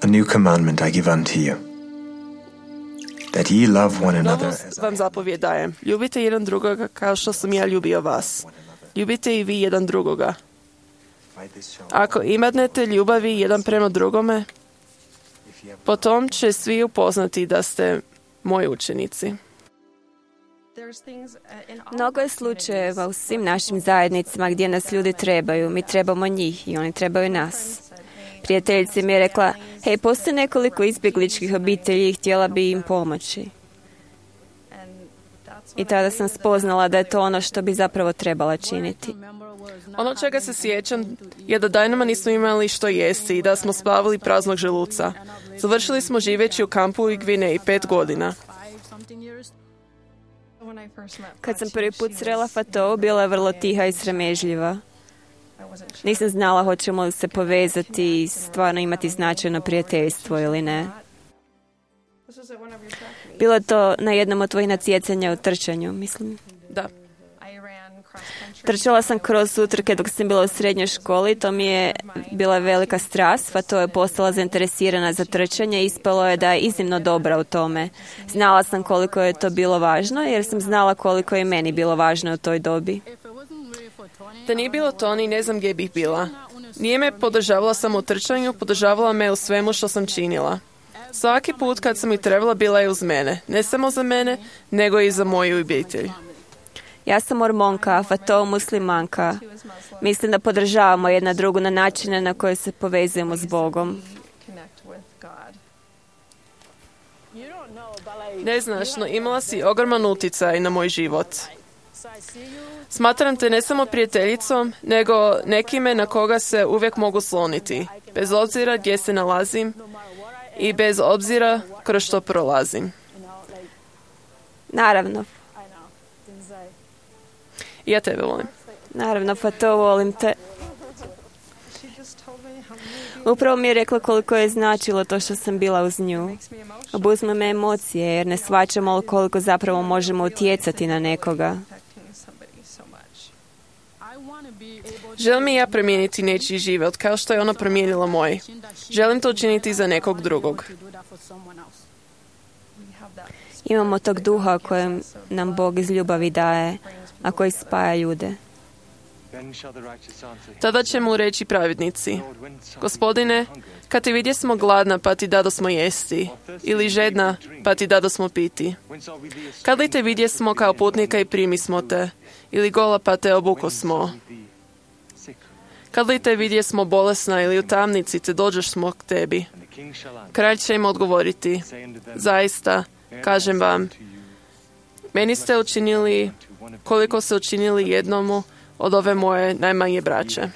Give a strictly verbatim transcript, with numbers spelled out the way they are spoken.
A new commandment I give unto you, that ye love one another Novu as vam zapovjed dajem. Ljubite jedan drugoga kao što sam ja ljubio vas. Ljubite i vi jedan drugoga. Ako imatnete ljubavi jedan prema drugome, potom će svi upoznati da ste moji učenici. Mnogo je slučajeva u svim našim zajednicama gdje nas ljudi trebaju. Mi trebamo njih i oni trebaju nas. Prijateljica mi je rekla, hej, postoji nekoliko izbjegličkih obitelji i htjela bi im pomoći. I tada sam spoznala da je to ono što bi zapravo trebala činiti. Ono čega se sjećam je da danima nismo imali što jesti i da smo spavali praznog želuca. Završili smo živeći u kampu u Gvineji pet godina. Kad sam prvi put srela Fatou, bila je vrlo tiha i sramežljiva. Nisam znala hoćemo li se povezati i stvarno imati značajno prijateljstvo ili ne. Bilo je to na jednom od tvojih natjecanja u trčanju, mislim. Da. Trčala sam kroz utrke dok sam bila u srednjoj školi, to mi je bila velika strast, pa to je postala zainteresirana za trčanje i ispalo je da je iznimno dobra u tome. Znala sam koliko je to bilo važno, jer sam znala koliko je meni bilo važno u toj dobi. Da nije bilo to, ni ne znam gdje bih bila. Nije me podržavala samo u trčanju, podržavala me u svemu što sam činila. Svaki put kad sam ih trebala, bila je uz mene. Ne samo za mene, nego i za moju obitelj. Ja sam mormonka, a Fatou muslimanka. Mislim da podržavamo jedna drugu na načine na koje se povezujemo s Bogom. Ne znaš, no imala si ogroman utjecaj na moj život. Smatram te ne samo prijateljicom, nego nekime na koga se uvijek mogu sloniti, bez obzira gdje se nalazim i bez obzira kroz što prolazim. Naravno. Ja tebe volim. Naravno, Fatou, volim te. Upravo mi je rekla koliko je značilo to što sam bila uz nju. Obuzme me emocije jer ne shvaćamo koliko zapravo možemo utjecati na nekoga. Želim i ja promijeniti nečiji život kao što je ona promijenila moj. Želim to učiniti za nekog drugog. Imamo tog duha kojem nam Bog iz ljubavi daje, a koji spaja ljude. Tada će mu reći pravednici: Gospodine, kad ti vidje smo gladna pa ti dado smo jesti, ili žedna pa ti dado smo piti. Kad li te vidje smo kao putnika i primi smo te, ili gola pa te obuko smo. Kad li te vidje smo bolesna ili u tamnici te dođeš smo k tebi. Kralj će im odgovoriti: zaista, kažem vam, meni ste učinili koliko ste učinili jednomu od ove moje najmanje braće.